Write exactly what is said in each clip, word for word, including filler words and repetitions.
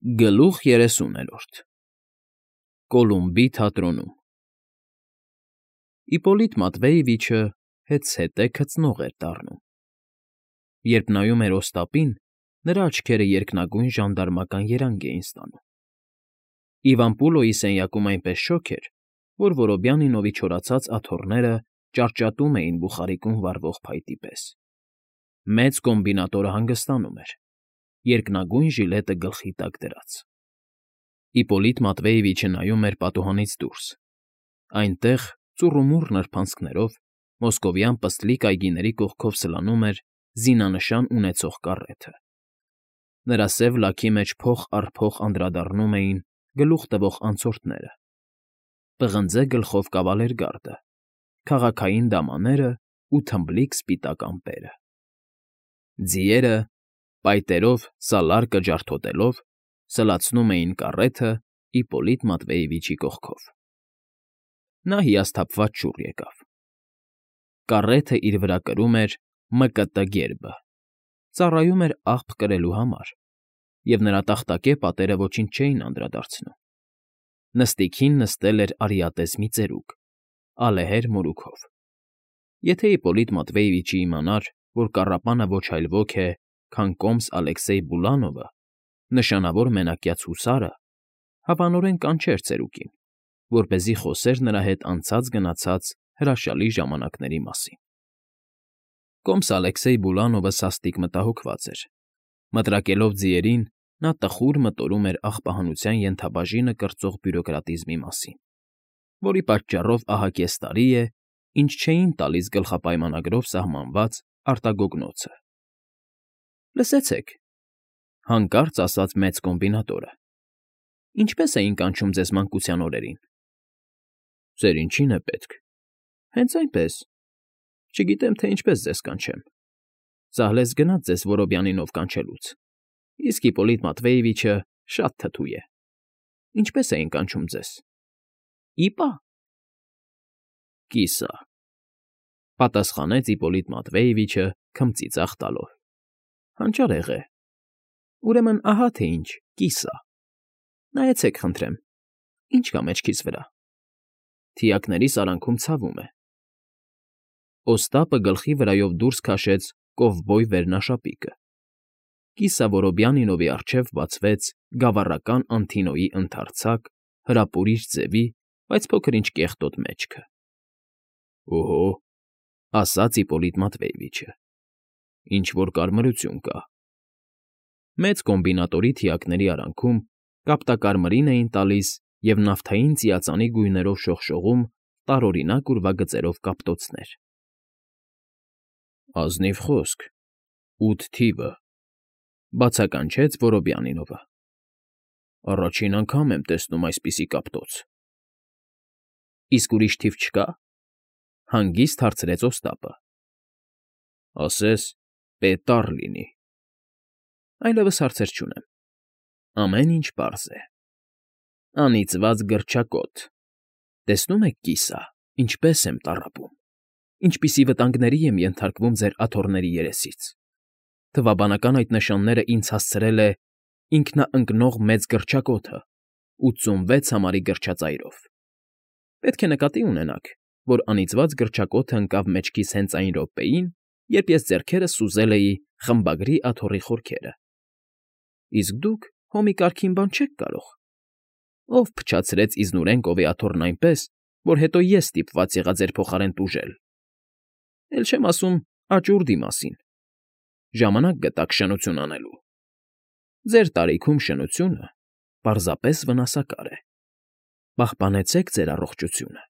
Գլուխ երեսուներորդ Կոլումբի թատրոնում Իպոլիտ Մատվեևիչը հետզհետե քծնող էր դառնում. երբ նայում էր Օստապին, նրա աչքերը երկնագույն ժանդարմական երանգ էին ստանում. Իվան սենյակում այնպես շոգ էր, որ Որոբյանինովի չորացած աթոռները ճարճատում էին բուխարիկում վառվող փայտի պես. մեծ կոմբինատորը հանգստանում էր, երկնագույն ժիլետը գլխի տակ դրած. Իպոլիտ Մատվեևիչը նայում էր պատուհանից դուրս. այնտեղ, ծուռումուռ նրբանցքներով, մոսկովյան պստլիկ այգիների կողքով սլանում էր զինանշան ունեցող կառեթը. նրա սև լաքի մեջ փող առ փող անդրադառնում էին գլուխ տվող անցորդները. պղնձե գլխով կավալերգարդը, քաղաքային դամաներն ու թմբլիկ սպիտակ ամպերը. Ձիերը, պայտերով սալարկը ջարդոտելով, սլացնում էին կառեթը Իպոլիտ Մատվեևիչի կողքով. Նա հիասթափված շուռ եկավ. Կառեթը իր վրա կրում էր Մ Կ Տ գերբը, ծառայում էր աղբ կրելու համար, և նրա տախտակե պատերը ոչինչ չէին անդրադարձնում. նստիքին նստել էր արիատես մի ծերուկ, ալեհեր մորուքով. եթե Իպոլիտ Մատվեևիչը իմանար, որ կառապանը ոչ այլ ոք է, քան կոմս Ալեքսեյ Բուլանովը, նշանավոր մենակյաց հուսարը, հավանորեն կանչեր ծերուկին, որպեսզի խոսեր նրա հետ անցած֊գնացած հրաշալի ժամանակների մասին. Կոմս Ալեքսեյ Բուլանովը սաստիկ մտահոգված էր. մտրակելով ձիերին, նա տխուր մտորում էր աղբահանության ենթաբաժինը կրծող բյուրոկրատիզմի մասին, որի պատճառով ահա կես տարի է, ինչ չէին տալիս գլխապայմանագրով սահմանված արտագոգնոցը։ ֊ Լսեցեք,֊ հանկարծ ասաց մեծ կոմբինատորը,֊ ինչպե՞ս էին կանչում ձեզ մանկության օրերին։ ֊ Ձեր ինչի՞ն է պետք։ ֊ Հենց այնպես։ Չգիտեմ, թե ինչպես ձեզ կանչեմ. ծահլես գնաց ձեզ Որոբյանինով կանչելուց, իսկ Իպոլիտ Մատվեևիչը շատ թթու է։ Ինչպե՞ս էին կանչում ձեզ։ ֊ Իպա։ ֊ Կիսա,֊ պատասխանեց Իպոլիտ Մատվեևիչը քմծիծաղ տալով։ ֊ Հանճարեղ է։ Ուրեմն ահա թե ինչ, կիսա։ Նայեցեք, խնդրեմ, ինչ կա մեջքիս վրա։ Թիակներիս արանքում ցավում է։ Օստապը գլխի վրայով դուրս քաշեց կովբոյ վերնաշապիկը. կիսա Որոբյանինովի առջև բացվեց գավառական Անթինոյի ընդարձակ, հրապուրիչ ձևի, բայց փոքր֊ինչ կեղտոտ մեջքը։ ֊ Օհո,֊ ասաց Իպոլիտ Մատվեևիչը,֊ ինչ֊որ կարմրություն կա։ Մեծ կոմբինատորի թիակների արանքում կապտակարմիրին էին տալիս և նավթային ծիածանի գույներով շողշողում տարօրինակ ուրվագծերով կապտոցներ։ ֊ Ազնիվ խոսք, ութ թիվը,֊ բացականչեց Որոբյանինովը։ Առաջին անգամ եմ տեսնում այսպիսի կապտոց։ ֊ Իսկ ուրիշ թիվ չկա՞, հանգիստ հարցրեց Օստապը։ ֊ Ասես Պ լինի։ ֊ Այլևս հարցեր չունեմ, ամեն ինչ պարզ է։ Անիծված գրչակոտ, տեսնում եք, կիսա, ինչպես եմ տառապում, ինչպիսի վտանգների եմ ենթարկվում ձեր աթոռների երեսից։ Թվաբանական այդ նշանները ինձ հասցրել է ինքնաընկնող մեծ գրչակոթը ութսունվեց համարի գրչածայրով։ Պետք է նկատի ունենաք, որ անիծված գրչակոթը ընկավ մեջքիս հենց այն րոպեին, երբ ես ձեռքերս սուզել էի խմբագրի աթոռի խորքերը։ Իսկ դուք հո մի կարգին բան չեք կարող։ Ով փչացրեց Իզնուրենկովի աթոռն այնպես, որ հետո ես ստիպված եղա ձեր փոխարեն տուժել։ Էլ չեմ ասում աճուրդի մասին։ Ժամանակ գտաք շնություն անելու։ Ձեր տարիքում շնությունը պարզապես վնասակար է։ Պահպանեցեք ձեր առողջությունը։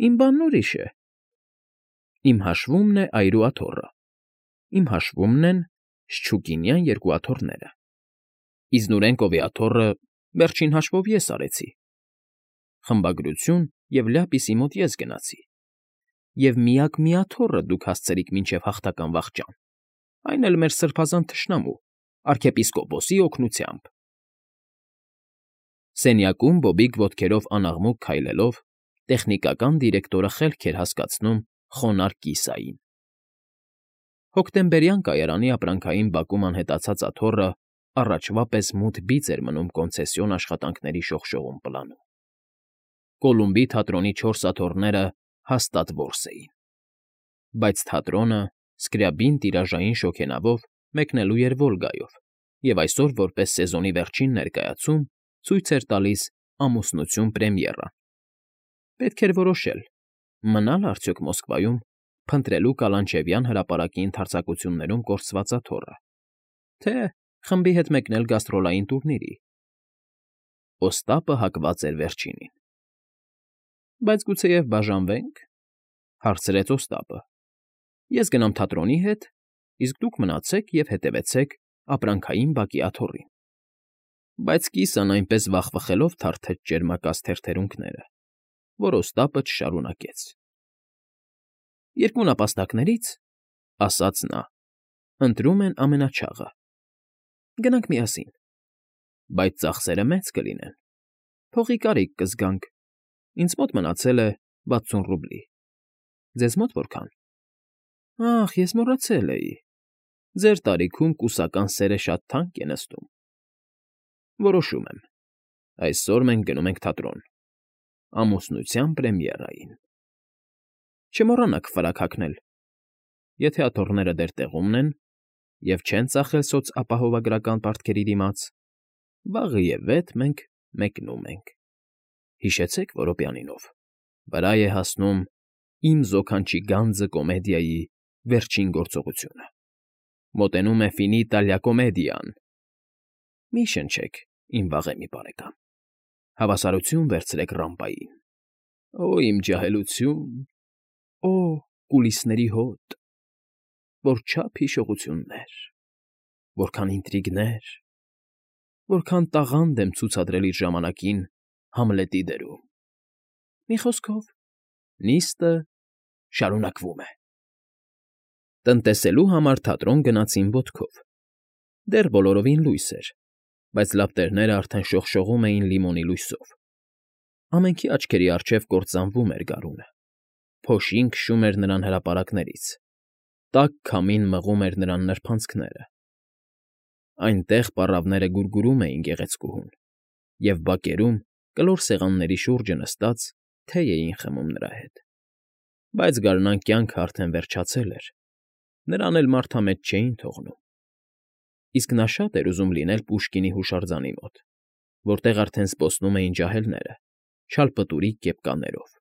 Իմ բանն ուրիշ է։ Իմ հաշվումն է այրու աթոռը, իմ հաշվումն են Շչուկինյան երկու աթոռները։ Իզնուրենկովի աթոռը վերջին հաշվով ես արեցի։ Խմբագրություն և լյապիսի մոտ ես գնացի։ Եվ միակ մի աթոռը դուք հասցրիք մինչև հաղթական վախճան, այն էլ մեր սրբազան թշնամու՝ արքեպիսկոպոսի օգնությամբ։ Սենյակում բոբիկ ոտքերով անաղմուկ քայլելով, տեխնիկական դիրեկտորը խելք էր հասկացնում խոնարհ կիսային։ Հոկտեմբերյան կայարանի ապրանքային բակում անհետացած աթոռը առաջվա պես մութ բիծ էր մնում կոնցեսիոն աշխատանքների շողշողուն պլանում։ Կոլումբի թատրոնի չորս աթոռները հաստատ որս էին։ Բայց թատրոնը Սկրյաբին տիրաժային շոգենավով մեկնելու էր Վոլգայով և այսօր որպես սեզոնի վերջին ներկայացում ցույց էր տալիս «Ամուսնություն» պրեմիերան։ Պետք էր որոշել՝ մնա՞լ արդյոք Մոսկվայում, փնտրելու Կալանչևյան հրապարակի ընդարձակություններում կորսված աթոռը, թե խմբի հետ մեկնել գաստրոլային տուրնիրի։ Օստապը հակված էր վերջինին։ ֊ Բայց գուցեև բաժանվե՞նք,֊ հարցրեց Օստապը։ Ես գնամ թատրոնի հետ, իսկ դուք մնացեք և հետևեցեք ապրանքային բակի աթոռին։ Բայց կիսան այնպես վախվխելով թարթեց ճերմակած թերթերունքները, որ Օստապը չշարունակեց։ ֊ Երկու նապաստակներից,֊ ասաց նա,֊ ընտրում են ամենաչաղը։ Գնանք միասին։ Բայց ծախսերը մեծ կլինեն, փողի կարիք կզգանք, ինձ մոտ մնացել է վաթսուն ռուբլի։ Ձեզ մոտ որքան։ Ախ, ես մոռացել էի, ձեր տարիքում կուսական սերը շատ թանկ է նստում։ Որոշում եմ, այսօր մենք գնում ենք թատրոն, Ամուսնության պրեմիերային։ Չմոռանաք ֆրակ հագնել, եթե աթոռները դեռ տեղումն են և չեն ծախել սոցապահովագրական պարտքերի դիմաց, վաղը և վետ մենք մեկնում ենք։ Հիշեցեք Որոպյանինով, վրա է հասնում «Իմ զոքանչի գանձը» կոմեդիայի վերջին գործողությունը։ Մոտենում է Ֆինիտա լա Կոմեդիան։ Մի շնչեք, իմ վաղեմի բարեկամ, հավասարություն վերցրեք ռամպային։ Օ՜, իմ ջահելություն, օ՜, կուլիսների հոտ, որչափ հիշողություններ, որքան ինտրիգներ, որքան տաղանդ եմ ցուցադրել իր ժամանակին Համլետի դերում։ Մի խոսքով, նիստը շարունակվում է։ Տնտեսելու համար թատրոն գնացին ոտքով։ Դեռ բոլորովին լույս էր, բայց լապտերները արդեն շողշողում էին լիմոնի լույսով։ Ամենքի աչքերի առջև կործանվում էր գարունը, փոշին քշում էր նրան հրապարակներից, տաք քամին մղում էր նրան նրբանցքները։ Այնտեղ պառավները գուրգուրում էին գեղեցկուհուն, և բակերում, կլոր սեղանների շուրջը նստած, թեյ էին խմում նրա հետ։ Բայց գարնան կյանքը արդեն վերջացել էր, նրան էլ մարդամետ չէին թողնում։ Իսկ նա շատ էր ուզում լինել Պուշկինի հուշարձանի մոտ, որտեղ արդեն զբոսնում էին ջահելները՝ շալպտուրի կեպկաներով,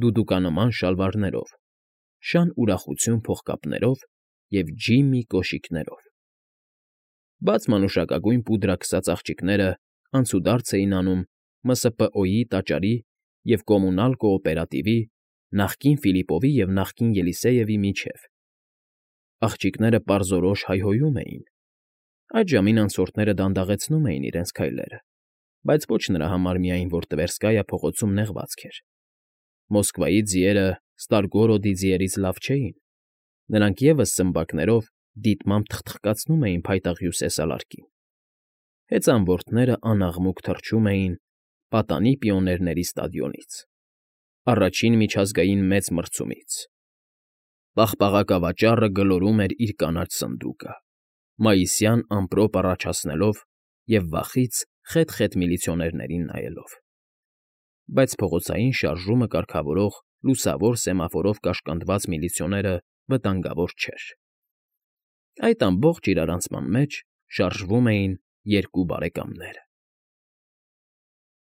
դուդուկանման շալվարներով, շան ուրախություն փողկապներով և ջիմի կոշիկներով։ Բաց մանուշակագույն պուդրա քսած աղջիկները անցուդարձ էին անում Մը Սը Պ Օ֊ի տաճարի և Կոմունալ կոոպերատիվի, նախկին Ֆիլիպովի և նախկին Ելիսեևի միջև։ Աղջիկները պարզորոշ հայհոյում էին։ Այդ ժամին անցորդները դանդաղեցնում էին իրենց քայլերը, բայց ոչ նրա համար միայն, որ Տվերսկայա փողոցում նեղվածք էր։ Մոսկվայի ձիերը Ստարգորոդի ձիերից լավ չէին, նրանք ևս սմբակներով դիտմամբ թխթխկացնում էին փայտաղ հյուսիսալարկին։ Հեծանվորդները անաղմուկ թռչում էին Պատանի պիոներների ստադիոնից, առաջին միջազգային մեծ մրցումից։ Պաղպաղակավաճառը գլորում էր իր կանաչ սնդուկը, մայիսյան ամպրոպ առաջացնելով և վախից խետ֊խետ միլիցիոներներին նայելով։ Բայց փողոցային շարժումը կարգավորող լուսավոր սեմաֆորով կաշկանդված միլիցիոները վտանգավոր չէր։ Այդ ամբողջ իրարանցման մեջ շարժվում էին երկու բարեկամներ։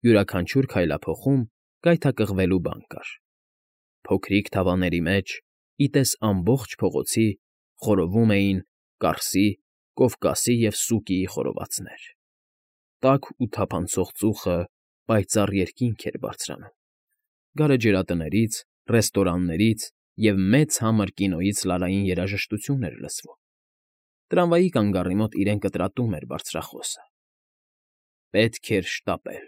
Յուրաքանչյուր քայլափոխում գայթակղվելու բան կար։ Փոքրիկ թավաների մեջ, ի տես ամբողջ փողոցի, խորովում էին կարսի, Կովկասի և Սուկիի խորովածներ։ Տաք ու թափանցող ծուխը պայծառ երկինք էր բարձրանում։ Գարեջրատներից, ռեստորաններից և մեծ համր կինոյից լարային երաժշտություն էր լսվում։ Տրամվայի կանգառի մոտ իրեն կտրատում էր բարձրախոսը։ Պետք էր շտապել։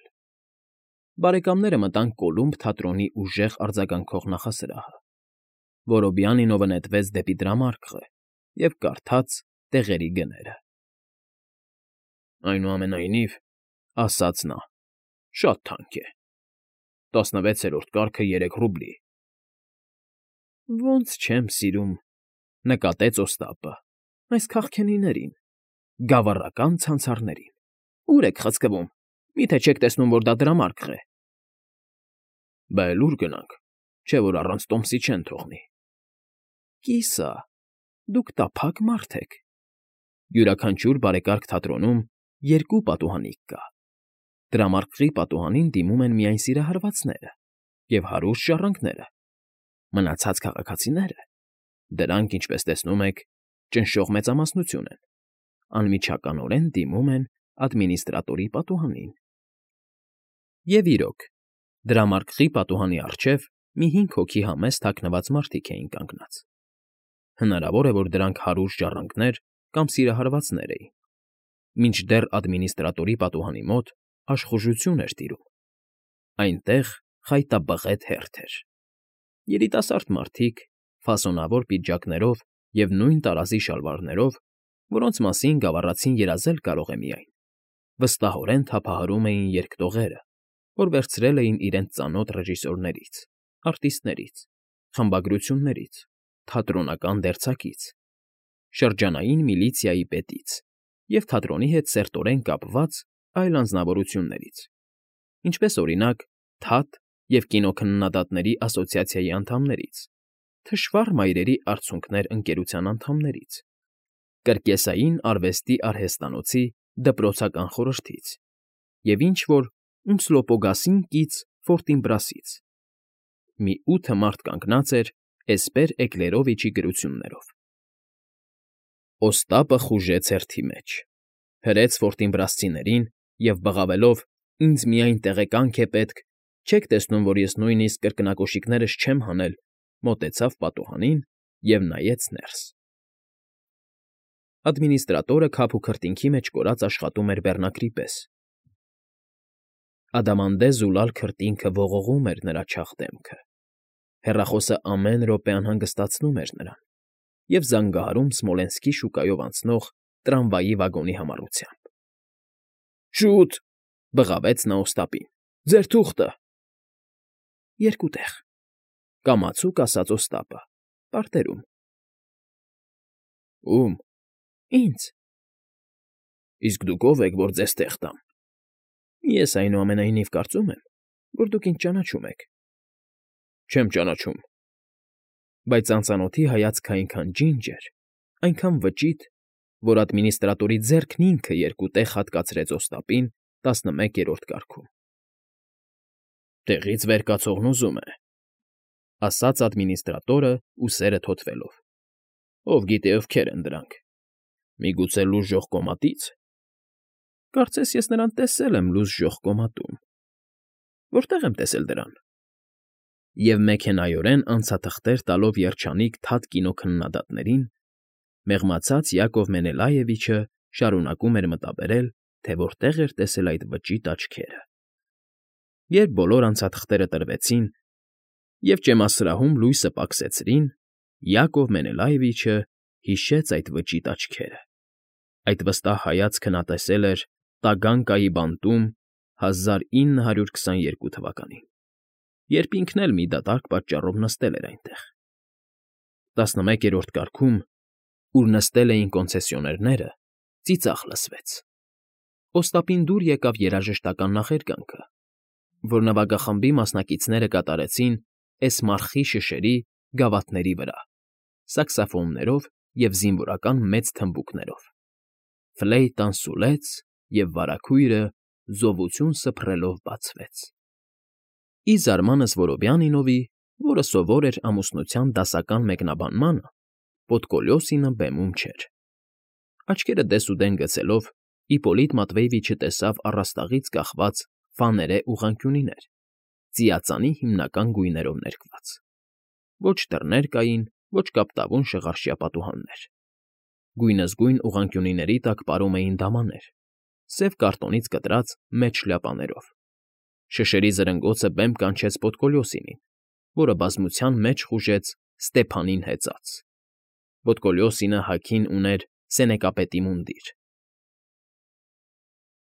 Բարեկամները մտան Կոլումբ թատրոնի ուժեղ արձագանքող նախասրահը։ Որոբյանինովը նետվեց դեպի դրամարկղը և կարդաց տեղերի գները։ Այնուամենայնիվ, ասաց նա, շատ թանկ է, տասնվեցերորդ կարգը երեք ռուբլի։ Ոնց չեմ սիրում,֊ նկատեց Օստապը,֊ այս քաղքենիներին։ Գավառական ցանցարներին։ Ո՞ւր եք խցկվում, միթե չեք տեսնում, որ դա դրամարկղ է։ Բա էլ ուր գնանք, չէ՞ որ առանց տոմսի չեն թողնի։ Կիսա, դուք տափակ մարդ եք։ Յուրաքանչյուր բարեկարգ թատրոնում երկու պատուհանիկ կա։ Դրամարկղի պատուհանին դիմում են միայն սիրահարվածները և հարուստ ժառանգները, մնացած քաղաքացիները, դրանք, ինչպես տեսնում եք, ճնշող մեծամասնություն են, անմիջականորեն դիմում են ադմինիստրատորի պատուհանին։ Եվ իրոք, դրամարկղի պատուհանի առջև մի հինգ հոգի համեստ թաքնված մարդիկ էին կանգնած։ Հնարավոր է, որ դրանք հարուստ ժառանգներ կամ սիրահարվածներ էին, մինչդեռ ադմինիստրատորի պատուհանի մոտ աշխուժություն էր տիրում։ Այնտեղ խայտաբղետ հերթ էր։ Երիտասարդ մարդիկ, ֆասոնավոր պիջակներով և նույն տարազի շալվարներով, որոնց մասին գավառացին երազել կարող է միայն, վստահորեն թափահարում էին երգտողերը, որ վերցրել էին իրենց ծանոթ ռեժիսորներից, արտիստներից, խմբագրություններից, թատրոնական դերձակից, շրջանային միլիցիայի պետից և թատրոնի հետ սերտորեն կապված այլ անձնավորություններից, ինչպես, օրինակ, թատ և կինոքննադատների ասոցիացիայի անդամներից, թշվառ մայրերի արցունքներ ընկերության անդամներից, կրկեսային արվեստի արհեստանոցի դպրոցական խորհրդից և ինչ֊որ Ումսլոպոգասին կից Ֆորտինբրասից։ Մի ութը մարդ կանգնած էր էսպեր Էկլերովիչի գրություններով։ Օստապը խուժեց հերթի մեջ, հրեց ֆորտինբրասցիներին և բղավելով «Ինձ միայն տեղեկանք է պետք, չեք տեսնում, որ ես նույնիսկ կրկնակոշիկներս չեմ հանել», մոտեցավ պատուհանին և նայեց ներս։ Ադմինիստրատորը քափ ու քրտինքի մեջ կորած աշխատում էր բեռնակրի պես։ Ադամանդե զուլալ քրտինքը ողողում էր նրա չաղ դեմքը, հեռախոսը ամեն րոպե անհանգստացնում էր նրան և զանգահարում Սմոլենսկի շուկայով անցնող տրամվայի վագոնի համառությամբ։ ֊ Շո՛ւտ,֊ բղավեց նա Օստապին,֊ ձեր թուղթը… Երկու տեղ,֊ կամացուկ ասաց Օստապը, պարտերում։ ֊ Ո՞ւմ։ ֊ Ինձ։ ֊ Իսկ դուք ո՞վ եք, որ ձեզ տեղ տամ։ ֊ Ես, այնուամենայնիվ, կարծում եմ, որ դուք ինձ ճանաչում եք։ ֊ Չեմ ճանաչում։ Բայց անծանոթի հայացքը այնքան ջինջ էր, այնքան վճիտ, որ ադմինիստրատորի ձեռքն ինքը երկու տեղ հատկացրեց Օստապին տասնմեկերորդ կարգում։ ֊ Տեղից վեր կացողն ուզում է,֊ ասաց ադմինիստրատորը, ուսերը թոթվելով,֊ ով գիտե ովքեր են դրանք, միգուցե լուզժող կոմատի՞ց։ ֊ Կարծես ես նրան տեսել եմ լուզժող կոմատում։ ֊ Որտե՞ղ եմ տեսել դրան։ Եվ մեքենայորեն անցաթղթեր տալով երջանիկ թատ կինոքննադատներին, մեղմացած Յակով Մենելաևիչը շարունակում էր մտաբերել, թե որտեղ էր տեսել այդ վճիտ աչքերը։ Երբ բոլոր անցաթղթերը տրվեցին և ճեմասրահում լույսը պակսեցրին, Յակով Մենելաևիչը հիշեց այդ վճիտ աչքերը։ Այդ վստահ հայացքը նա տեսել էր Տագանկայի բանտում հազար ինը հարյուր քսաներկու թվականին, երբ ինքն էլ մի դատարկ պատճառով նստել էր այնտեղ։ Տասնմեկերորդ կարգում, ուր նստել էին կոնցեսիոներները, ծիծաղ լսվեց։ Օստապին դուր եկավ երաժշտական նախերգանքը, որ նվագախմբի մասնակիցները կատարեցին Էսմարխի շշերի գավաթների վրա, սաքսոֆոններով և զինվորական մեծ թմբուկներով։ Ֆլեյտան սուլեց, և վարագույրը զովություն սփռելով բացվեց։ Ի զարմանս Որովյանինովի, որը սովոր էր ամուսնության դասական մեկնաբանմանը, Պոդկոլյոսինը բեմում չէր։ Աչքերը դեսուդեն գցելով՝ Իպոլիտ Մատվեյիչը տեսավ առաստաղից կախված ֆաներե ուղղանկյունիներ, ծիածանի հիմնական գույներով ներկված։ Ոչ դռներ կային, ոչ կապտավուն շղարշյա պատուհաններ։ Գույնզգույն ուղղանկյունիների տակ պարում էին դամաներ, սև կարտոնից կտրած մեծ շլյապաներով։ Շշերի զրնգոցը բեմ կանչեց Պոդկոլյոսինին, որը բազմության մեջ խուժեց Ստեփանին հեծած։ Պոդկոլյոսինը հագին ուներ սենեկապետի մունդիր,